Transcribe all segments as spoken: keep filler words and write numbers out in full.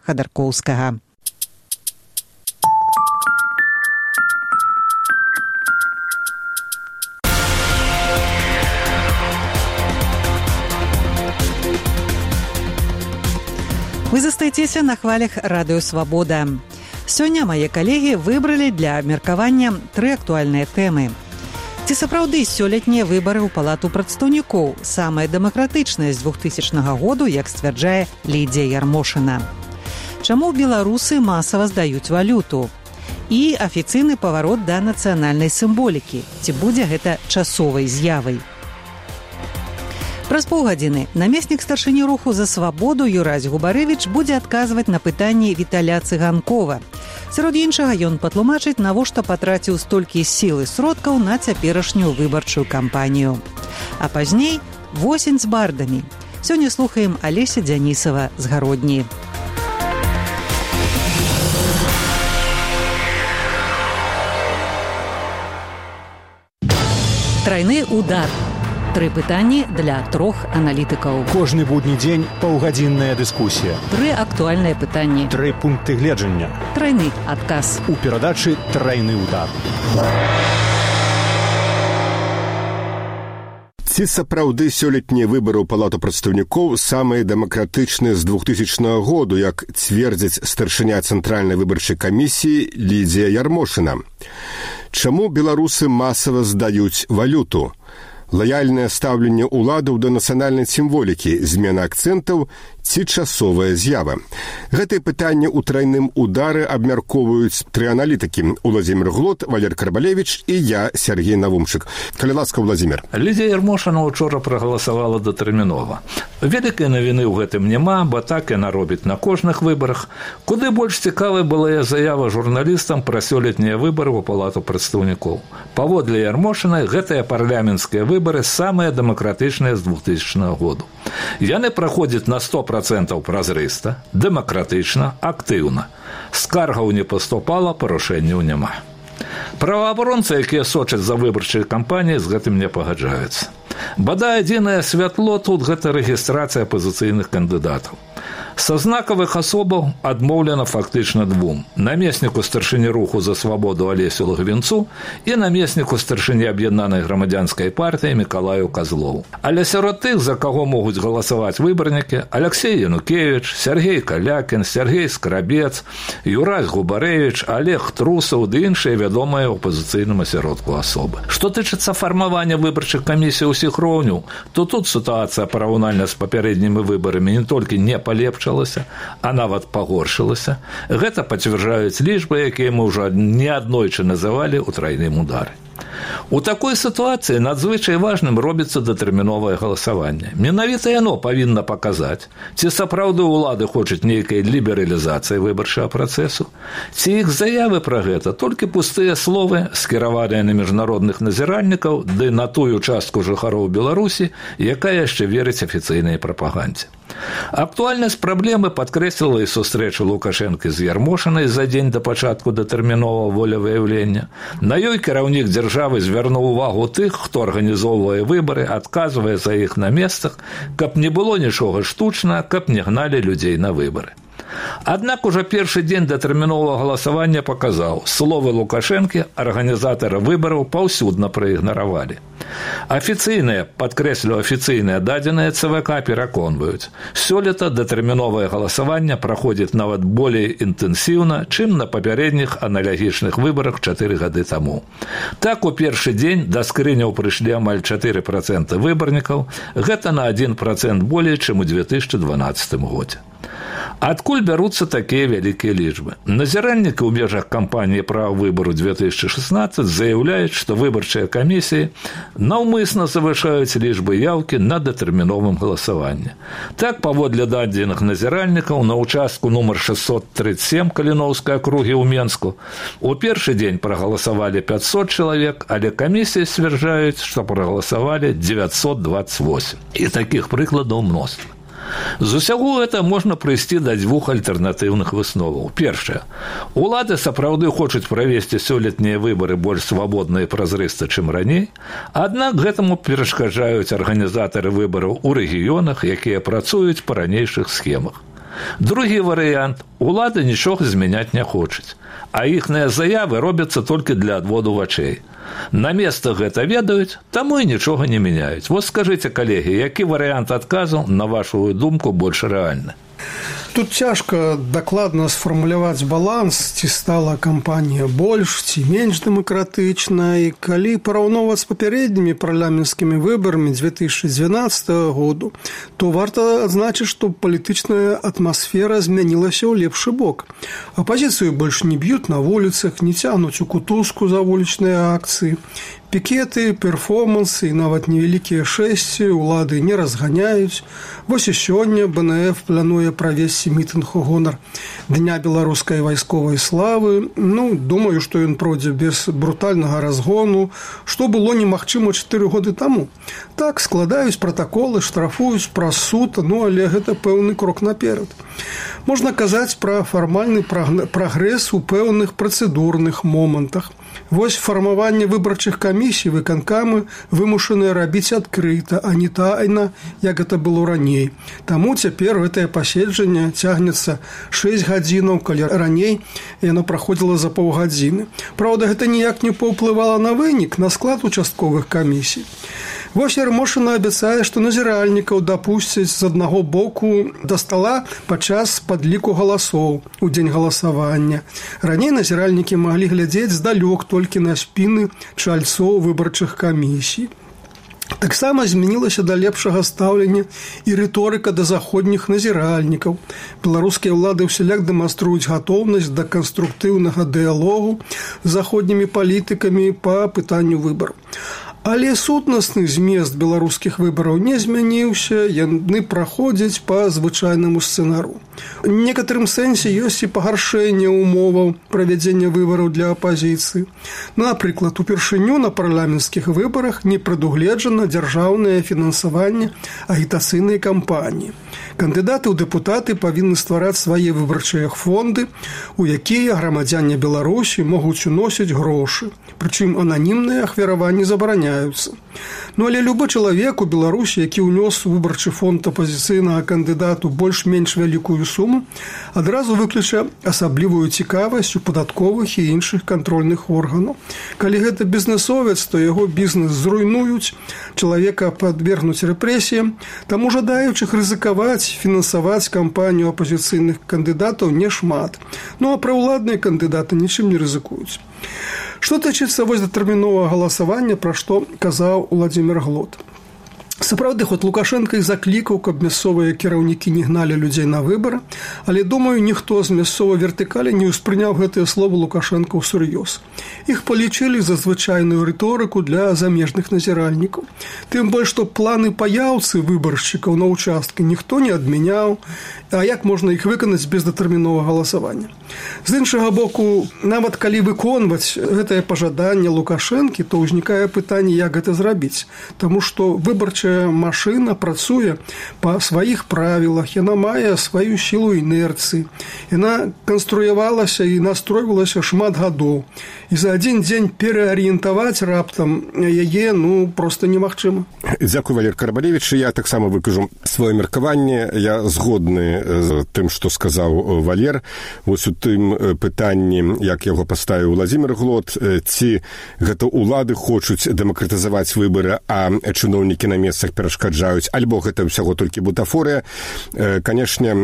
Хадаркоўскага. Вы застаецеся на хвалях Радыё Свабода. Сёння мае калегі выбралі для абмеркавання тры актуальныя тэмы. Ці сапраўды сёлетнія выбары ў палату прадстаўнікоў самыя дэмакратычныя з двухтысячнага году, як сцвярджае Лідзія Ярмошына? Чаму беларусы масава здаюць валюту? І афіцыйны паварот да нацыянальнай сімволікі. Ці будзе гэта часовай з'явай? Праз паўгадзіны намеснік старшыні руху «За свабоду» Юрась Губарэвіч будзе адказваць на пытанні Віталя Цыганкова. Сярод іншага ён патлумачыць, навошта патраціў столькі сіл і сродкаў на цяперашнюю выбарчую кампанію. А пазней восень з бардамі. Сёння слухаем Алеся Дзянісава з Гародні. Трайны удар. Тры пытанні для трох аналітыкаў. Кожны будні дзень паўгадзінная дыскусія. Тры актуальныя пытанні. Тры пункты гледжання. Трайны адказ. У перадачы «Трайны удар». Ці сапраўды сёлетнія выбары ў палату прадстаўнікоў самыя дэмакратычныя з двухтысячнага году, як цвердзіць старшыня цэнтральнай выбарчай камісіі Лідзія Ярмошына? Чаму беларусы масава здаюць валюту? Лаяльнае стаўленне ўладаў да нацыянальнай сімволікі, змена акцэнтаў ці часовая з'ява? Гэтыя пытанні ў трайным удары абмяркоўваюць тры аналітыкі: Уладзімір Глот, Валер Карбалевіч і я, Сергей Навумчык. Калі ласка, Уладзімір. Лідзія Ярмошына учора прагаласавала датэрмінова. Вялікай навіны ў гэтым няма, бо так яна робіць на кожных выбарах. Куды больш цікавай была заява журналістам пра сёлетнія выбары ў палату прадстаўнікоў. Паводле Ярмошынай, гэтыя парламенцкія выбары самыя дэмакратычныя з двухтысячнага году. Яны праходзяць на сто процентаў празрыста, дэмакратычна, актыўна. Скаргаў не паступала, парушэнняў няма. Праваабаронцы, якія сочаць за выбарчай кампаніяй, з гэтым не пагаджаюцца. Бадай адзінае святло тут – гэта рэгістрацыя апазіцыйных кандыдатаў. Са знакавых асобаў адмоўлена фактычна двум: намесніку старшыні руху «За свабоду» Алесю Лагвінцу і намесніку старшыні аб'яднанай грамадзянскай партыі Мікалаю Казлову. Але сярод тых, за каго могуць галасаваць выбарнікі, Алексей Янукевіч, Сергей Калякін, Сергей Скрабец, Юрась Губарэвіч, Олег Трусаў ды іншыя вядомыя ў апазіцыйным асяродку асобы. Што тычыцца фармавання выбарчых камісій усіх роўняў, то тут сітуацыя параўнальна з папярэднімі выбарамі не толькі не палепшылася, а нават пагоршылася. Гэта пацвярджаюць лічбы, якія мы ўжо неаднойчы называлі ў трайным удары. У такой сітуацыі надзвычай важным робіцца датэрміновае галасаванне. Менавіта яно павінна паказаць, ці сапраўды ўлады хочуць нейкай лібералізацыі выбарчага працэсу, ці іх заявы пра гэта толькі пустыя словы, скіраваныя на міжнародных назіральнікаў ды на тую частку жыхароў Беларусі, якая яшчэ верыць афіцыйнай прапагандзе. Актуальнасць праблемы падкрэсліла і сустрэча Лукашэнкі з Ярмошынай за дзень да пачатку датэрміновага волевыяўлення. На ёй кіраўнік дзяржавы звярнуў увагу тых, хто арганізоўвае выбары, адказвае за іх на месцах, каб не было нічога штучна, каб не гналі людзей на выбары. Аднак ужо першы дзень датэрміновага галасавання паказаў, словы Лукашэнкі арганізатары выбараў паўсюдна праігнаравалі. Афіцыйныя, падкрэслю афіцыйныя дадзеныя ЦВК пераконваюць, сёлета датэрміновае галасаванне праходзіць нават болей інтэнсіўна, чым на папярэдніх аналагічных выбарах чатыры гады таму. Так, у першы дзень да скрыняў прыйшлі амаль чатыры працэнты выбарнікаў, гэта на адзін працэнт болей, чым у две тысячы дванаццатым годзе. Адкуль бяруцца такія вялікія лічбы? Назіральнікі ў межах кампаніі права выбару две тысячы шаснаццаць заяўляюць, што выбарчыя камісіі наўмысна завышаюць лічбы яўкі на датэрміновым галасаванні. Так, паводле дадзеных назіральнікаў, на ўчастку нумар шэсцьсот трыццаць сем Каліноўскай акругі ў Менску у першы дзень прагаласавалі пятьсот чалавек, але камісіі сцвярджаюць, што прагаласавалі дзевяцьсот дваццаць восем. І такіх прыкладаў мноства. З усяго гэта можна прыйсці да дзвюх альтэрнатыўных высноваў. Першае. Улады сапраўды хочуць правесці сёлетнія выбары больш свабодна і празрыста, чым раней, аднак гэтаму перашкаджаюць арганізатары выбараў у рэгіёнах, якія працуюць па ранейшых схемах. Другі варыянт – улады нічога змяняць не хочуць, а іхныя заявы робяцца толькі для адводу вачэй. На месцах гэта ведаюць, таму і нічога не мяняюць. Вот скажыце, калегі, які варыянт адказу, на вашу думку, больш рэальны? Тут цяжка дакладна сфармуляваць баланс, ці стала кампанія больш ці менш дэмакратычнай. Калі параўноўваць з папярэднімі парламенцкімі выбарамі дзве тысячы дзванаццатага году, то варта адзначыць, што палітычная атмасфера змянілася ў лепшы бок. Апазіцыю больш не б'юць на вуліцах, не цягнуць у кутузку за вулічныя акцыі. Пікеты, перформансы і нават невялікія шэсці улады не разганяюць. Вось і сёння бэ эн эф плануе правесці мітынг у гонар Дня беларускай вайсковай славы. Ну, думаю, што ён пройдзе без брутальнага разгону, што было немагчыма чатыры годы таму. Так, складаюць пратаколы, штрафуюць праз суд, ну, але гэта пэўны крок наперад. Можна казаць пра фармальны прагрэс у пэўных працэдурных момантах. Вось фармаванне выбарчых камісій выканкамы вымушаныя рабіць адкрыта, а не тайна, як гэта было раней. Таму цяпер гэтае паседжанне цягнецца шэсць гадзінаў, калі раней яно праходзіла за паўгадзіны. Праўда, гэта ніяк не паўплывала на вынік, на склад участковых камісій. Вось Ярмошына абяцае, што назіральнікаў дапусцяць з аднаго боку да стала падчас падліку галасоў у дзень галасавання. Раней назіральнікі маглі глядзець здалёк толькі на спіны чальцоў выбарчых камісій. Таксама змянілася да лепшага стаўлення і рыторыка да заходніх назіральнікаў. Беларускія ўлады ўсяляк дэманструюць гатоўнасць да канструктыўнага дыялогу з заходнімі палітыкамі па пытанню выбараў. Але сутнасны змест беларускіх выбараў не змяніўся, яны праходзяць па звычайнаму сцэнару. У некаторым сэнсе ёсць і пагаршэнне ўмоваў правядзення выбараў для апазіцыі. Напрыклад, упершыню на парламенцкіх выбарах не прадугледжана дзяржаўнае фінансаванне агітацыйнай кампаніі. Кандыдаты ў дэпутаты павінны ствараць свае выбарчыя фонды, у якія грамадзяне Беларусі могуць уносіць грошы. Прычым ананімныя ахвяраванні забараняюцца. Ну, але любы чалавек у Беларусі, які ўнёс у выбарчы фонд апазіцыйнага кандыдату больш-менш вялікую суму, адразу выключа асаблівую цікавасць у падатковых і іншых кантрольных органаў. Калі гэта бізнесовец, то яго бізнес зруйнуюць, чалавека падвергнуць рэпрэсіям, таму жадаючых рызыкаваць, фінансаваць кампанію апазіцыйных кандыдатаў нешмат. Ну, а праўладныя кандыдаты нічым не рызыкуюць. Што тычыцца вось датэрміновага галасавання, пра што казаў Уладзімір Глот. Сапраўды, хоць Лукашенко і заклікаў, каб мясцовыя кіраўнікі не гналі людзей на выбары, але, думаю, ніхто з мясцовай вертыкалі не ўспрыняў гэтыя словы Лукашенка ўсур'ёз. Іх палічылі за звычайную рыторыку для замежных назіральнікаў. Тым больш, што планы паяўцы выбаршчыкаў на ўчасткі ніхто не адмяняў, а як можна іх выканаць без датэрміновага галасавання? З іншага боку, нават калі выконваць гэтае пажаданне Лукашэнкі, то ўзнікае пытанне, як гэта зрабіць. Таму што выбарчая машына працуе па сваіх правілах, яна мае сваю сілу інерцыі. Яна канструявалася і настройвалася шмат гадоў. І за адзін дзень пераарыентаваць раптам яе, ну, проста немагчыма. Дзякуй, Валер Карбалевіч. Я таксама выкажу сваё меркаванне. Я згодны з тым, што сказаў Валер. Вось у тым пытанні, як яго паставіў Уладзімір Глот, ці гэта ўлады хочуць дэмакратызаваць выбары, а чыноўнікі на месцах перашкаджаюць, альбо гэта ўсяго толькі бутафорыя. Канешне,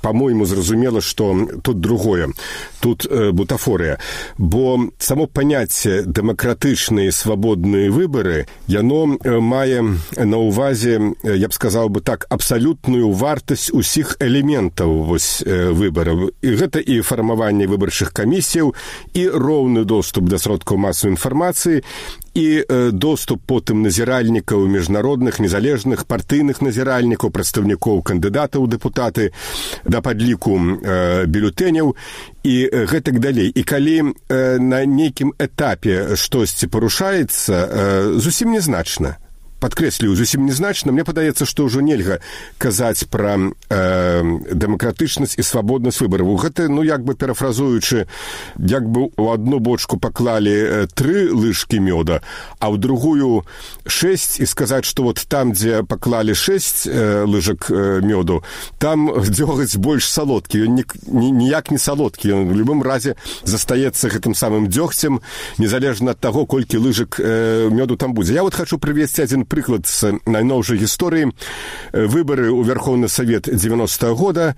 па-мойму, зразумела, што тут другое. Тут бутафорыя. Бо само паняцце дэмакратычныя свабодныя выбары, яно мае на ўвазе, я б сказаў бы так, абсалютную вартасць усіх элементаў вось выбараў. І гэта і фармаванне выбарчых камісіяў, і роўны доступ да сродкаў масавай інфармацыі, і доступ потым назіральнікаў міжнародных, незалежных, партыйных назіральнікаў, прадстаўнікоў кандыдатаў у дэпутаты да падліку э, бюлетэняў і гэтак далей. І калі э, на нейкім этапе штосьці парушаецца, э, зусім нязначна. падкрэслю, зусім незначна. Мне падаецца, што ўжо нельга казаць пра э, дэмакратычнасць і свабоднасць выбараў. Гэта, ну, як бы парафразуючы, як бы у одну бочку паклалі тры лыжкі мёда, а ў другую шэсць, і сказаць, што вот там, дзе паклалі шэсць э, лыжак э, мёду, там дзёгаць больш салодкі. Ён ні, ні, ніяк не салодкі. Ён в любым разе застаецца гэтым самым дзёгцем, незалежна ад таго, колькі лыжак э, мёду там будзе. Я вот хочу прывесці адзін прыклад з найноўшай гісторыі. Выбары ў Верховны Савет дзевяностага года.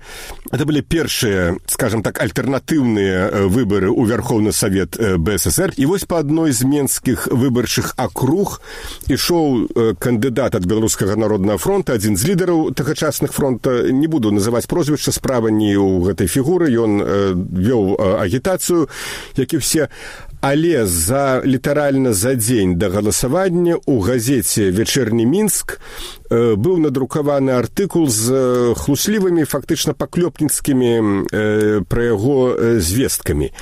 Это былі першыя, скажем так, альтэрнатыўныя выбары ў Верховны Савет бэ эс эс эр. І вось па адной з менскіх выбарчых акруг ішоў кандыдат ад Беларускага народнага фронта, адзін з лідараў тагачасных фронта. Не буду называць прозвішча, справа не ў гэтай фігуры. Ён вёў агітацыю, як і все. Але за літаральна за дзень да галасавання ў газеце «Вечерні Мінск» э, быў надрукаваны артыкул з хлуслівымі, фактычна паклёпніцкімі э, пра яго э, звесткамі.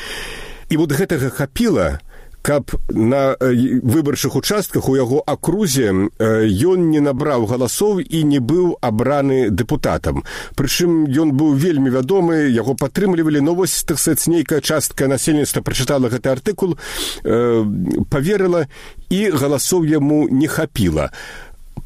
І вот гэтага хапіла, каб на выбарчых участках у яго акрузе ён не набраў галасоў і не быў абраны дэпутатам. Прычым ён быў вельмі вядомы, яго падтрымлівалі, но вось, так сказаць, нейкая частка насельніцтва прачытала гэты артыкул, э, паверыла, і галасоў яму не хапіла.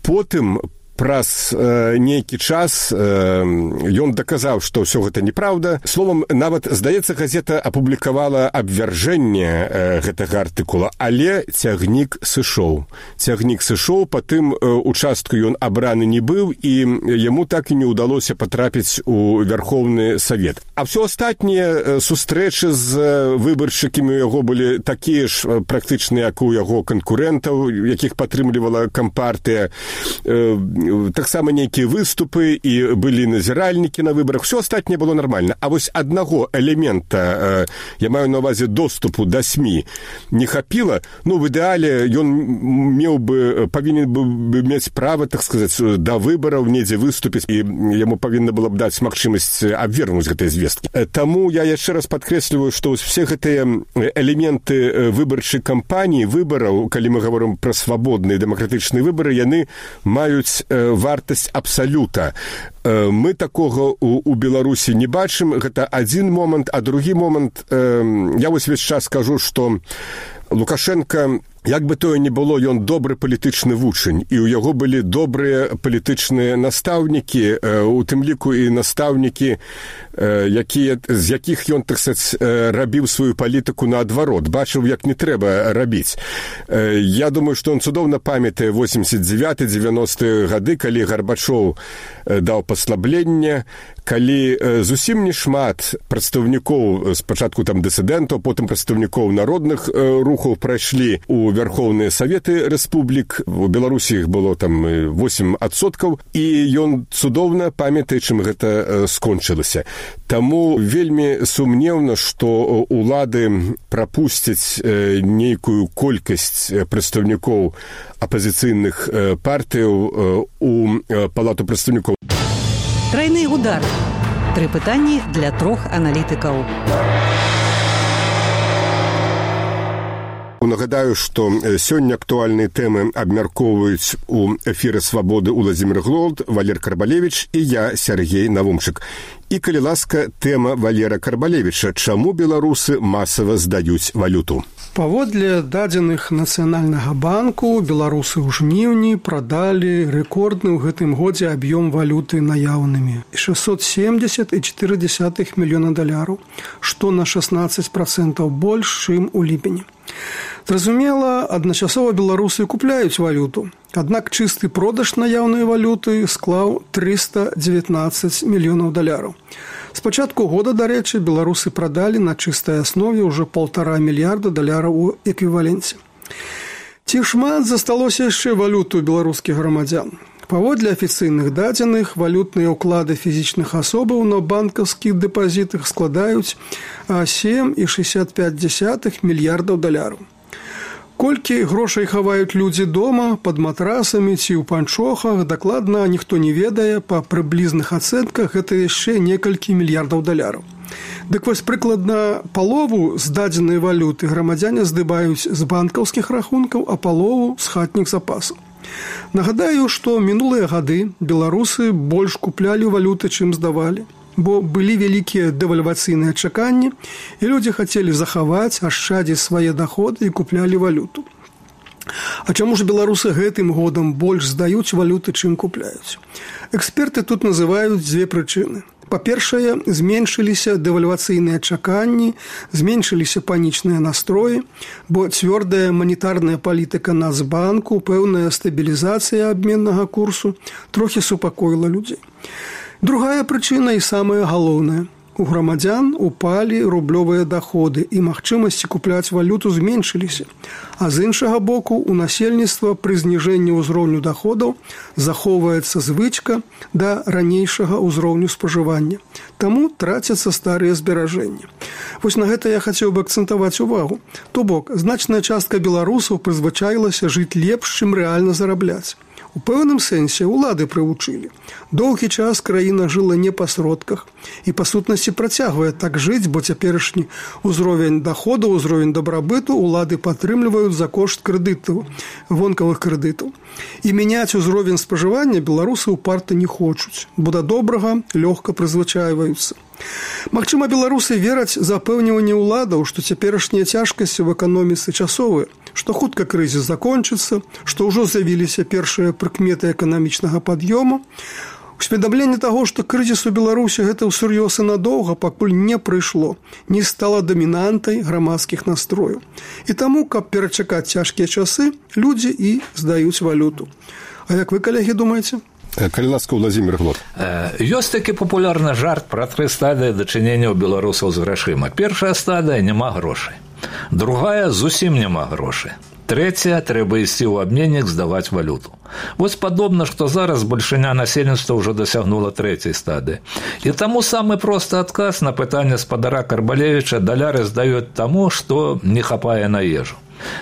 Потым праз э, нейкі час э, ён даказаў, што ўсё гэта неправда. Словам, нават, здаецца, газета апублікавала абвяржэнне э, гэтага артыкула, але цягнік сышоў. Цягнік сышоў, па тым э, участку ён абраны не быў, і яму так і не ўдалося патрапіць у Верховны Савет. А ўсё астатнія э, сустрэчы з выбаршчыкамі у яго былі такія ж практычна, як у яго канкурэнтаў, якіх падтрымлівала кампартыя. Э, таксама нейкія выступы, і былі назіральнікі на выбарах. Все астатняе было нармальна. А вось аднаго элемента, я маю на ўвазе доступу да СМІ, не хапіла. Ну, в ідэале ён меў бы, павінен бы мець права, так сказаць, да выбараў недзе выступіць, і яму павінна было б даць магчымасць абвергнуць гэтыя звесткі. Таму я яшчэ раз падкрэсліваю, што все гэтыя элементы выбарчай кампаніі, выбараў, калі мы гаворым пра свабодныя дэмакратычныя выбары, яны маюць вартасць абсалюта. Мы такога у, у Беларусі не бачым. Гэта адзін момант, а другі момант, я вось весь час скажу, што Лукашенко, як бы тое не было, ён добры палітычны вучань, і ў яго былі добрыя палітычныя настаўнікі, у тым ліку і настаўнікі, якія, з якіх ён, так сказаць, рабіў сваю палітыку наадварот, бачыў, як не трэба рабіць. Я думаю, што ён цудоўна памятае восемьдесят девятый девяностые гады, калі Гарбачоў даў паслабленне, калі зусім не шмат прадстаўнікоў, спачатку там дысідэнтаў, потым прадстаўнікоў народных рухаў прайшлі у Верховныя Саветы Рэспублік. У Беларусі іх было там восемь адсоткаў, і ён цудоўна памятае, чым гэта скончылася. Таму вельмі сумнеўна, што улады прапусцяць нейкую колькасць прадстаўнікоў апазіцыйных партыяў у палату прадстаўнікоў. Трайны удар. Тры пытанні для трох аналітыкаў. Нагадаю, што сёння актуальныя тэмы абмяркоўваюць у эфіры «Свабоды» Уладзімір Глолд, Валер Карбалевіч і я, Сергей Навумчык. І, калі ласка, тэма Валера Карбалевіча. Чаму беларусы масава здаюць валюту? Паводле дадзеных Нацыянальнага банку, беларусы ў жніўні прадалі рэкордны ў гэтым годзе аб'ём валюты наяўнымі. шестьсот семьдесят и четыре десятых мільёна даляраў, што на шестнадцать процентов больш, чым у ліпені. Зразумела, адначасова беларусы купляюць валюту. Аднак чысты продаж наяўнай валюты склаў триста девятнадцать мільёнаў даляраў. З пачатку года, дарэчы, беларусы прадалі на чыстай аснове ўжо полтора мільярда даляраў у эквіваленце. Ці шмат засталося яшчэ валюту беларускіх грамадзян? Паводле афіцыйных дадзеных, валютныя ўклады фізічных асобаў на банкаўскіх дэпазітах складаюць сем і шестьдесят пять десятых мільярдаў даляраў. Колькі грошай хаваюць людзі дома, пад матрасамі ці ў панчохах, дакладна ніхто не ведае, па прыблізных ацэнках гэта яшчэ некалькі мільярдаў даляраў. Дык вось прыкладна палову з дадзенай валюты грамадзяне здыбаюць з банкаўскіх рахункаў, а палову з хатніх запасаў. Нагадаю, што мінулыя гады беларусы больш куплялі валюты, чым здавалі, бо былі вялікія дэвальвацыйныя чаканні, і людзі хацелі захаваць, ашчадзіць свае доходы і куплялі валюту. А чаму ж беларусы гэтым годам больш здаюць валюты, чым купляюць? Эксперты тут называюць дзве прычыны. Па-першае, зменшыліся дэвальвацыйныя чаканні, зменшыліся панічныя настроі, бо цвёрдая манетарная палітыка Нацбанку, пэўная стабілізацыя абменнага курсу трохі супакоіла людзей. Другая прычына і самая галоўная. У грамадзян упалі рублёвыя даходы і магчымасці купляць валюту зменшыліся, а з іншага боку у насельніцтва пры зніжэнні ўзроўню даходаў захоўваецца звычка да ранейшага ўзроўню спажывання. Таму трацяцца старыя зберажэнні. Вось на гэта я хацеў бы акцэнтаваць увагу. То бок, значная частка беларусаў прызвычаілася жыць лепш, чым рэальна зарабляць. У пэўным сэнсе улады прывучылі. Доўгі час краіна жыла не па сродках і, па сутнасці, працягвае так жыць, бо цяперашні ўзровень даходу, ўзровень дабрабыту улады падтрымліваюць за кошт крэдытаў, вонкавых крэдытаў. І мяняць узровень спажывання беларусы ўпарта не хочуць, бо да добрага лёгка прызвычайваюцца. Магчыма, беларусы вераць запэўніванне ўладаў, што цяперашнія цяжкасці ў эканоміцы часовыя, што хутка крызіс закончыцца, што ўжо з'явіліся першыя прыкметы эканамічнага пад'ёму. Усведамленне таго, што крызіс у Беларусі гэта ўсур'ёз і надоўга, пакуль не прыйшло, не стала дамінантай грамадскіх настрояў. І таму, каб перачакаць цяжкія часы, людзі і здаюць валюту. А як вы, калегі, думаеце? Калі ласка, Владзімір Глот. Ёсць такі папулярны жарт пра тры стадыі дачынення ў беларусаў з грашыма. Першая стадыя – няма грошай. Другая – зусім няма грошай. Трэцяя – трэба ісці ў абменнік здаваць валюту. Вось падобна, што зараз бальшыня насельніцтва ўжо дасягнула трэцяй стадыі. І таму самы просты адказ на пытанне спадара Карбалевіча: даляры здаюць таму, што не хапае на ежу.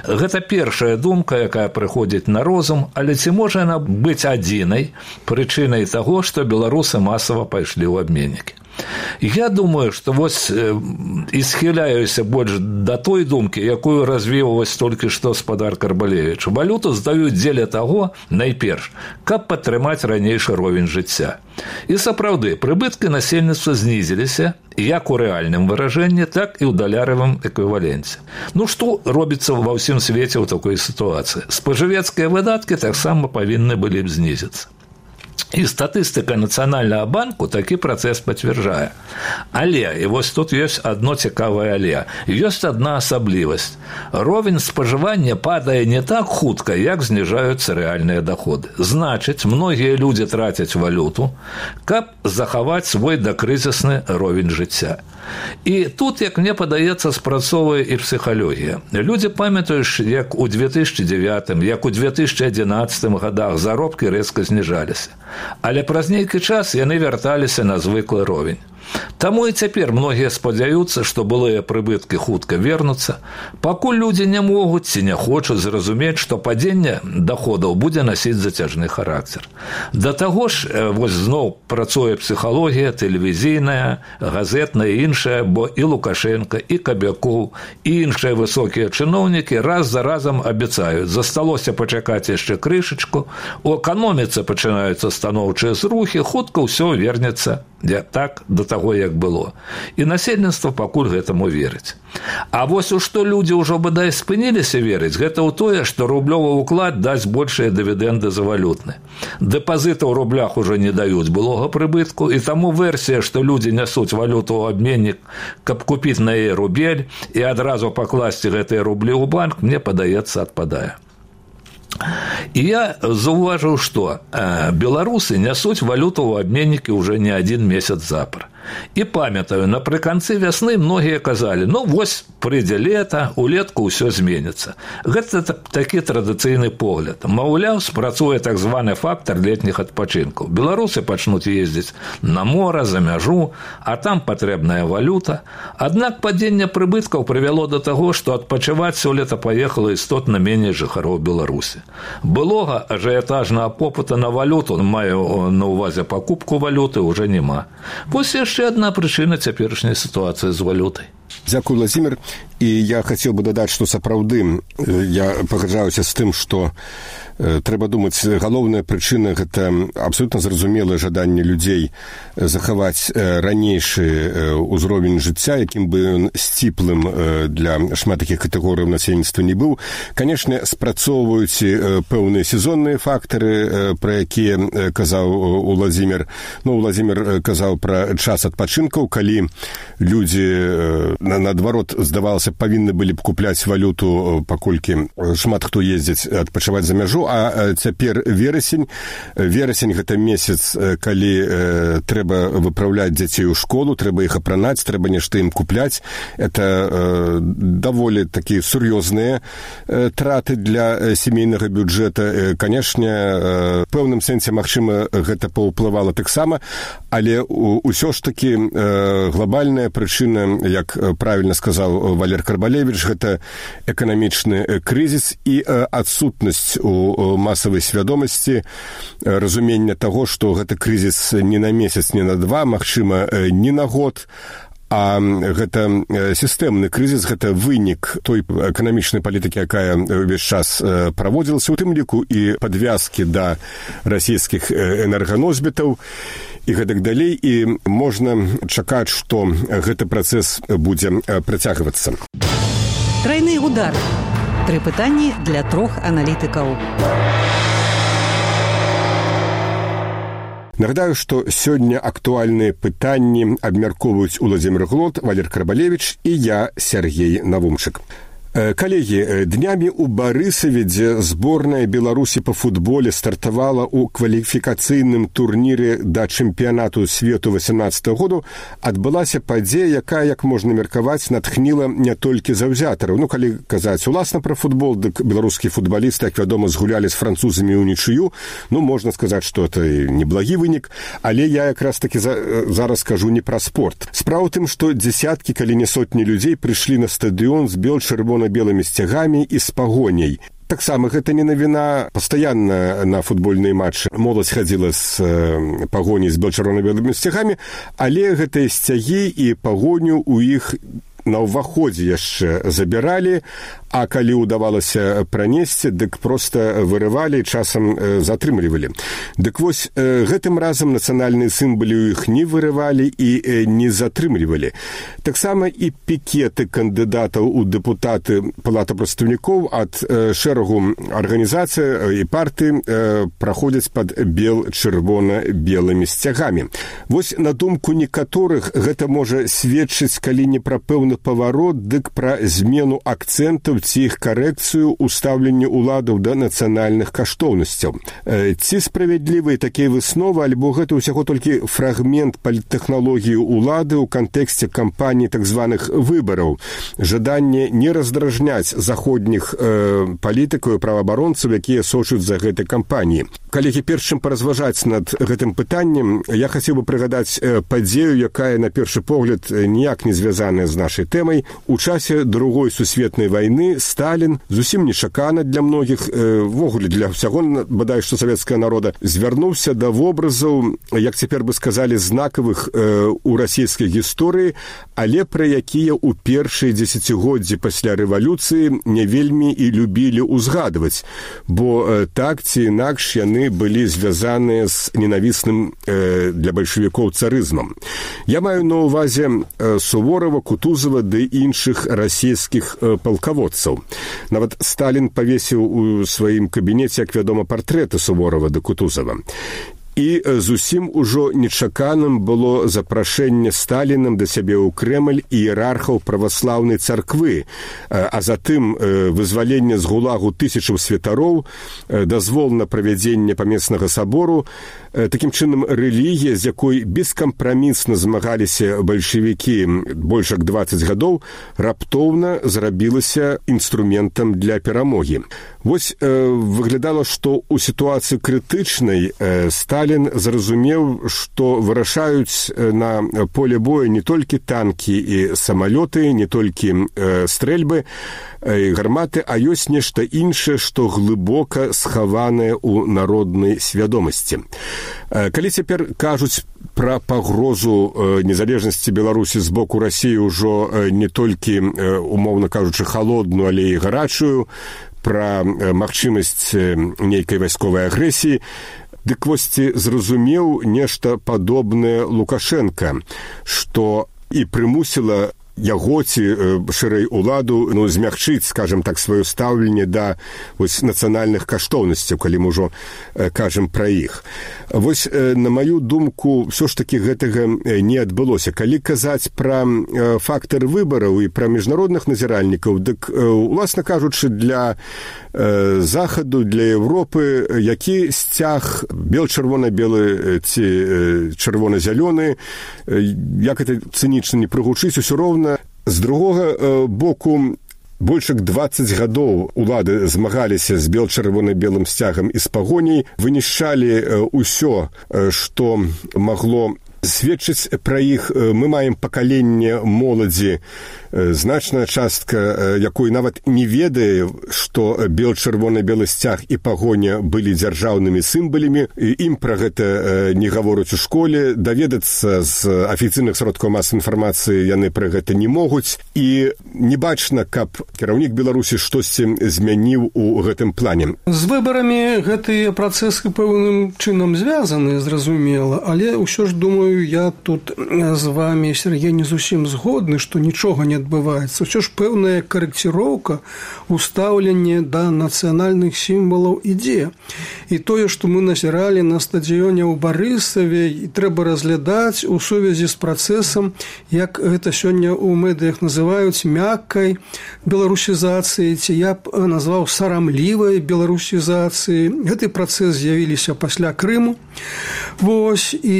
Гэта першая думка, якая прыходзіць на розум, але ці можа яна быць адзінай прычынай таго, што беларусы масава пайшлі ў абменнікі? Я думаю, што вось і схіляюся больш да той думкі, якую развіў вось толькі што спадар Карбалевіч. Валюту здаюць дзеля таго, найперш, каб падтрымаць ранейшы ровень жыцця. І сапраўды, прыбыткі насельніцтва знізіліся як у рэальным выражэнні, так і ў даляравым эквіваленце. Ну, што робіцца ва ўсім свеце ў такой сітуацыі? Спажывецкія выдаткі таксама павінны былі б знізіцца. І статыстыка Нацыянальнага банку такі працэс пацвярджае. Але, і вось тут ёсць адно цікавае але, ёсць адна асаблівасць. Ровень спажывання падае не так хутка, як зніжаюцца рэальныя даходы. Значыць, многія людзі трацяць валюту, каб захаваць свой дакрызісны ровень жыцця. І тут, як мне падаецца, спрацоўвае і псіхалогія. Людзі памятаюць, як у две тысячы дзевятым, як у две тысячы адзінаццатым гадах заробкі рэзка зніжаліся. Але праз нейкі час яны вярталіся на звыклы ровень. Таму і цяпер многія спадзяюцца, што былыя прыбыткі хутка вернуцца, пакуль людзі не могуць ці не хочуць зразумець, што падзенне даходаў будзе насіць зацяжны характар. Да таго ж, вось зноў працуе псіхалогія, тэлевізійная, газетная і іншая, бо і Лукашенка, і Кабякоў, і іншыя высокія чыноўнікі раз за разам абяцаюць: засталося пачакаць яшчэ крышачку, у эканоміцы пачынаюцца станоўчыя зрухі, хутка ўсё вернецца так да таго, як было. І насельніцтва пакуль гэтаму верыць. А вось у што людзі ўжо бадай спыніліся верыць, гэта ў тое, што рублёвы ўклад дасць большыя дывідэнды за валютны. Дэпазіты ў рублях ужо не даюць былога прыбытку, і таму версія, што людзі нясуць валюту ў абменнік, каб купіць на яе рубель і адразу пакласці гэтыя рублі ў банк, мне падаецца, адпадае. І я заўважыў, што беларусы нясуць валюту ў абменнікі ўжо не адзін месяц запар. І памятаю, напрыканцы вясны многія казалі: ну вось прыйдзе лета, улетку ўсё зменіцца. Гэта такі традыцыйны погляд. Маўляў, спрацуе так званы фактар летніх адпачынкаў. Беларусы пачнуць ездзіць на мора, за мяжу, а там патрэбная валюта. Аднак падзенне прыбыткаў прывяло да таго, што адпачываць сёлета паехала істотна меней жыхароў Беларусі. Былога ажыятажнага попыта на валюту, маю на ўвазе пакупку валюты, уже няма. Вось яшчэ адна прычына цяперашняй сітуацыі з валютай. Дзякуй, Владимир. І я хацеў бы дадаць, што сапраўды я пагаджаюся з тым, што трэба думаць, галоўная прычына – гэта абсолютна зразумелае жаданне людзей захаваць ранейшы ўзровень жыцця, якім бы ён сціплым для шмат такіх катэгорый насельніцтва не быў. Канешне, спрацоўваюць пэўныя сезонныя фактары, пра якія казаў Владимир. Ну, Владимир казаў пра час адпачынкаў, калі людзі, наадварот, здавалася, павінны былі б купляць валюту, паколькі шмат хто ездзіць адпачываць за мяжу, а цяпер верасень. Верасень – гэта месяц, калі э, трэба выпраўляць дзяцей у школу, трэба іх апранаць, трэба нешта ім купляць. Это э, даволі такія сур'ёзныя э, траты для сямейнага бюджэта. Э, канешне, э, пэўным сэнсе, магчыма, гэта паўплывала таксама, але ўсё ж такі э, глобальная прычына, як правільна сказаў Валер Карбалевіч, гэта эканамічны крызіс і э, адсутнасць у масавай свядомасці, разумення таго, што гэта крызіс не на месяц, не на два, магчыма, не на год, а гэта сістэмны крызіс, гэта вынік той эканамічнай палітыкі, якая ўвесь час праводзілася, у тым ліку і падвязкі да расійскіх энерганосьбітаў і гэтак далей, і можна чакаць, што гэты працэс будзе працягвацца. Трайны удар. Тры пытанні для трох аналітыкаў. Нагадаю, што сёння актуальныя пытанні абмяркоўваюць Уладзімір Глот, Валер Карбалевіч і я, Сергей Навумчык. Калегі, днямі ў Барысаве, дзе зборная Беларусі па футболе стартавала ў кваліфікацыйным турніры да чэмпіянату свету васямнаццатага году, адбылася падзея, якая, як можна меркаваць, натхніла не толькі заўзятараў. Ну, калі казаць уласна пра футбол, дык беларускія футбалісты, як вядома, згулялі з французамі ўнічыю. Ну, можна сказаць, што это неблагі вынік, але я якраз такі за, зараз кажу не пра спорт. Справа ў тым, што дзесяткі, калі не сотні людзей прыйшлі на стадыён з бел-чырвона белымі сцягамі і з пагоняй. Таксама гэта не навіна. Пастаянна на футбольныя матчы моладзь хадзіла з э, пагоняй з бел-чырвона-белымі сцягамі, але гэтыя сцягі і пагоню ў іх на ўваходзе яшчэ забіралі, а калі ўдавалася пранесці, дык проста вырывалі і часам э, затрымлівалі. Дык вось, э, гэтым разам нацыянальныя сімвалы ў іх не вырывалі і э, не затрымлівалі. Таксама і пікеты кандыдатаў у дэпутаты Палаты прадстаўнікоў ад э, шэрагу арганізацый і партый э, праходзяць пад бел-чырвона-белымі сцягамі. Вось, на думку некаторых, гэта можа сведчыць, калі не пра пэўны паварот, дык пра змену акцэнтаў ці іх карэкцыю ў стаўленні ўладаў да нацыянальных каштоўнасцяў. Э, ці справядлівыя такія высновы, альбо гэта ўсяго толькі фрагмент паліттэхналогіі ўлады ў кантэксце кампаніі так званых выбараў, жаданне не раздражняць заходніх э, палітыкаў і праваабаронцаў, якія сочуць за гэтай кампаніі. Калегі, перш чым паразважаць над гэтым пытаннем, я хацеў бы прыгадаць э, падзею, якая на першы погляд ніяк не звязаная з нашай тэмай. У часе Другой сусветнай вайны Сталін, зусім нечакана для многіх, э, ввогуле для ўсяго, бадай што савецкага народа, звярнуўся да вобразаў, як цяпер бы сказалі, знакавых э, у расійскай гісторыі, але пра якія ў першыя дзесяцігоддзі пасля рэвалюцыі не вельмі і любілі ўзгадваць, бо э, так ці інакш яны былі звязаныя з ненавісным э, для бальшавікоў царызмам. Я маю на ўвазе э, Суворова, Кутузова ды іншых расійскіх э, палкаводцаў. Нават Сталін павесіў у сваім кабінеце, як вядома, партрэты Суворова ды Кутузова. І зусім ужо нечаканым было запрашэнне Сталінам да сябе ў Крэмль іерархаў праваслаўнай царквы, а затым вызваленне з гулагу тысячаў святароў, дазвол на правядзенне памеснага сабору. Такім чынам, рэлігія, з якой бескампрамісна змагаліся бальшавікі больш як дваццаць гадоў, раптоўна зрабілася інструментам для перамогі. Вось э, выглядала, што ў сітуацыі крытычнай э, Сталін зразумеў, што вырашаюць на поле бою не толькі танкі і самалёты, не толькі э, стрэльбы і э, гарматы, а ёсць нешта іншае, што глыбока схаванае ў народнай свядомасці. Э, калі цяпер кажуць пра пагрозу э, незалежнасці Беларусі з боку Расіі ўжо э, не толькі, э, умоўна кажучы, халодную, але і гарачую, пра магчымасць нейкай вайсковай агрэсіі, дык вось ці зразумеў нешта падобнае Лукашенка, што і прымусіла яго ці шырэй уладу ну, змягчыць, скажем так, сваё стаўленне да вось, нацыянальных каштоўнасцяў, калі мы ўжо э, кажам пра іх. Вось, э, на маю думку, ўсё ж такі гэтага не адбылося. Калі казаць пра э, фактар выбараў і пра міжнародных назіральнікаў, дык, э, уласна кажучы, для э, Захаду, для Европы, які сцяг бел-чырвона-белы ці э, чырвона-зялёны, э, як это цынічна не прыгучыць, усё роўна. З другога э, боку, больш як дваццаць гадоў улады змагаліся з бел-чырвона-белым сцягам і з пагоняй, вынішчалі ўсё, што магло сведчыць пра іх. Мы маем пакаленне моладзі, значная частка, якой нават не ведае, што бел-чырвона-белы сцяг і пагоня былі дзяржаўнымі сімвалямі. Ім пра гэта не гавораць у школе, даведацца з афіцыйных сродкаў масавай інфармацыі яны пра гэта не могуць. І не бачна, каб кіраўнік Беларусі штосьці змяніў у гэтым плане. З выбарамі гэтыя працэсы пэўным чынам звязаны, зразумела, але ўсё ж, думаю, я тут з вами, Сергей, не зусім згодны, што нічога не адбываецца. Усё ж пэўная карэкціроўка, устаўленне да нацыянальных сімвалаў ідзе. І тое, што мы назіралі на стадыёне ў Барысаве, і трэба разглядаць у сувязі з працэсам, як гэта сёння ў медыях называюць мяккай беларусізацыі, ці я б назваў сарамлівай беларусізацыі. Гэты працэс з'явіліся пасля Крыму. Вось, і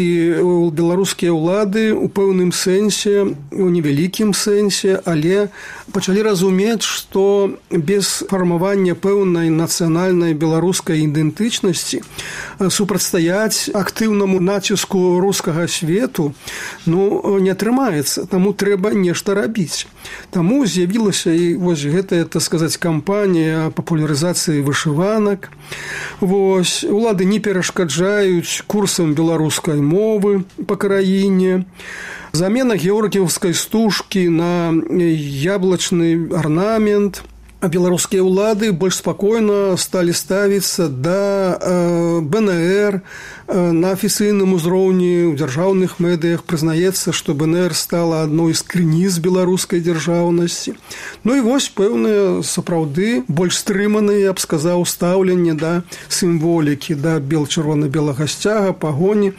беларускія ўлады ў пэўным сэнсе, у невялікім сэнсе, але пачалі разумець, што без фармавання пэўнай нацыянальнай беларускай ідэнтычнасці супрацьстаяць актыўнаму націску рускага свету ну, не атрымаецца. Таму трэба нешта рабіць. Таму з'явілася і вось гэтая, так сказаць, кампанія папулярызацыі вышыванак. Вось, улады не перашкаджаюць курсам беларускай мовы па краіне. Замена георгіевскай стужкі на яблачны арнамент. А беларускія ўлады больш спакойна сталі ставіцца да э, бэ эн эр. Э, на афіцыйным узроўні ў дзяржаўных медыях прызнаецца, што бэ эн эр стала адной з крыніц беларускай дзяржаўнасці. Ну і вось пэўныя сапраўды больш стрыманыя, я б сказаў, стаўленне да сімволікі, да бел-чырвона-белага сцяга, пагоні.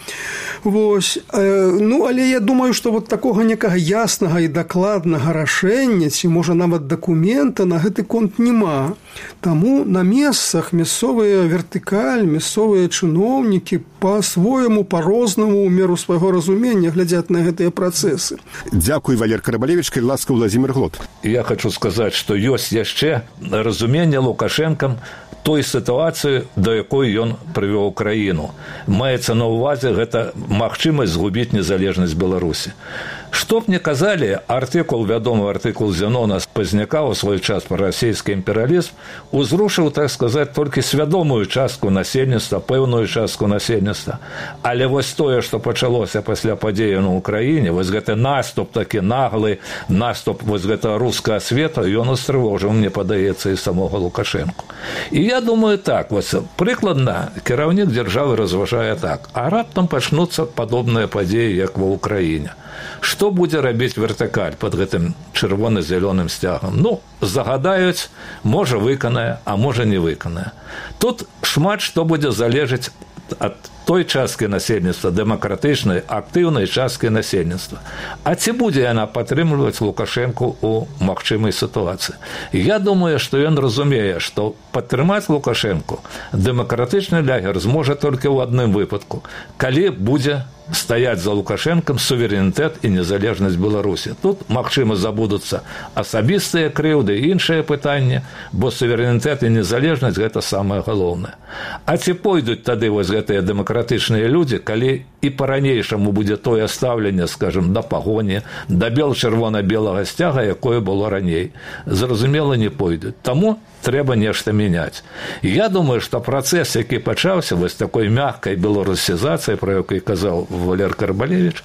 Вось. Э, ну, але я думаю, што вот такога некага яснага і дакладнага рашэння, ці можа нават дакумента на гэты конт няма. Таму на месцах мясцовыя вертыкаль, мясцовыя чыноўнікі па-свойму, па-рознаму, у меру свайго разумення глядзяць на гэтыя працэсы. Дзякуй, Валер Карабалевіч, калі ласка, Владзімір Глот. Я хочу сказаць, што ёсць яшчэ разуменне Лукашэнкам той сітуацыі, да якой ён прывёў краіну. Маецца на ўвазе гэта магчымасць згубіць незалежнасць Беларусі. Што б не казалі, артыкул, вядомы артыкул Зенона з Пазняка ў свой час пра расійскі імперыялізм узрушыў, так сказаць, толькі свядомую частку насельніцтва, пэўную частку насельніцтва. Але вось тое, што пачалося пасля падзеяў на Ўкраіне, вось гэты наступ такі наглы, наступ вось гэтага рускага света, ён устрывожыў, мне падаецца, і самога Лукашэнку. І я думаю так, вось прыкладна кіраўнік дзяржавы разважае так, а раптам пачнуцца падобныя падзеі, як ва Ўкраіне. Што будзе рабіць вертыкаль пад гэтым чырвона-зялёным сцягам? Ну, загадаюць, можа выканае, а можа не выканае. Тут шмат што будзе залежаць ад той часткі насельніцтва дэмакратычнай актыўнай часткі насельніцтва. А ці будзе яна падтрымліваць Лукашэнку ў магчымай сітуацыі? Я думаю, што ён разумее, што падтрымаць Лукашэнку дэмакратычны лягер зможа толькі ў адным выпадку, калі будзе стаяць за Лукашэнкам суверэнітэт і незалежнасць Беларусі. Тут, магчыма, забудуцца асабістыя крыўды і іншыя пытанні, бо суверэнітэт і незалежнасць – гэта самае галоўнае. А ці пойдуць тады вось гэтыя дэмакратычныя людзі, калі і па-ранейшаму будзе тое стаўленне, скажем, да пагоні, да бел-чырвона-белага сцяга, якое было раней? Зразумела, не пойдуць. Таму трэба нешта мяняць. І я думаю, што працэс, які пачаўся вось такой мяккай беларусізацыі, пра якой казаў Валер Карбалевіч,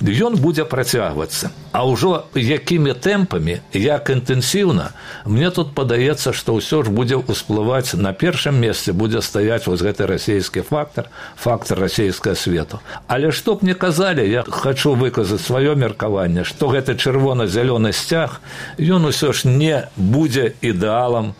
ён будзе працягвацца. А ўжо якімі тэмпамі, як інтэнсіўна, мне тут падаецца, што ўсё ж будзе ўсплываць, на першым месцы будзе стаяць вось гэты расійскі фактар, фактар расійскага свету. Але што б не казалі, я хачу выказаць сваё меркаванне, што гэты чырвона-зялёны сцяг, ён усё ж не будзе ідэалам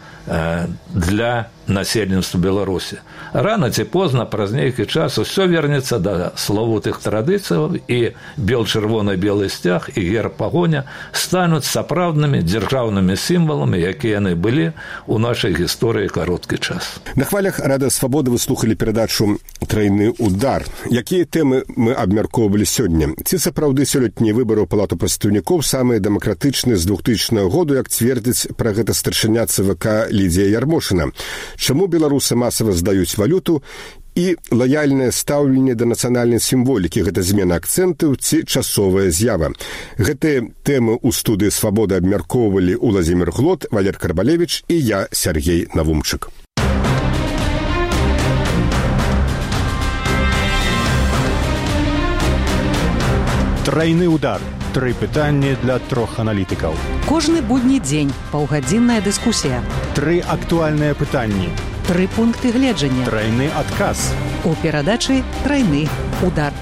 для насельніцтва Беларусі. Рана ці позна, праз нейкі час, усё вернецца да славутых традыцыяў, і бел-чырвона-белы сцяг і герб пагоня стануць сапраўднымі дзяржаўнымі сімваламі, якія яны былі ў нашай гісторыі кароткі час. На хвалях Радыё Свабода вы слухалі перадачу «Трайны удар». Якія тэмы мы абмяркоўвалі сёння? Ці сапраўды сёлетнія выбары ў палату прадстаўнікоў самыя дэмакратычныя з двухтысячнага году, як цвердзіць пра гэта старшыня ЦВК Лідзія Ярмошына? Чаму беларусы масава здаюць валюту і лаяльнае стаўленне да нацыянальнай сімволікі, гэта змена акцэнтаў ці часовая з'ява? Гэтыя тэмы ў студыі «Свабода» абмяркоўвалі Уладзімір Глот, Валер Карбалевіч і я, Сергей Навумчык. Трайны удар. Тры пытанні для трох аналітыкаў. Кожны будні дзень паўгадзінная дыскусія. Тры актуальныя пытанні. Тры пункты гледжання. Трайны адказ. У перадачы «Трайны удар».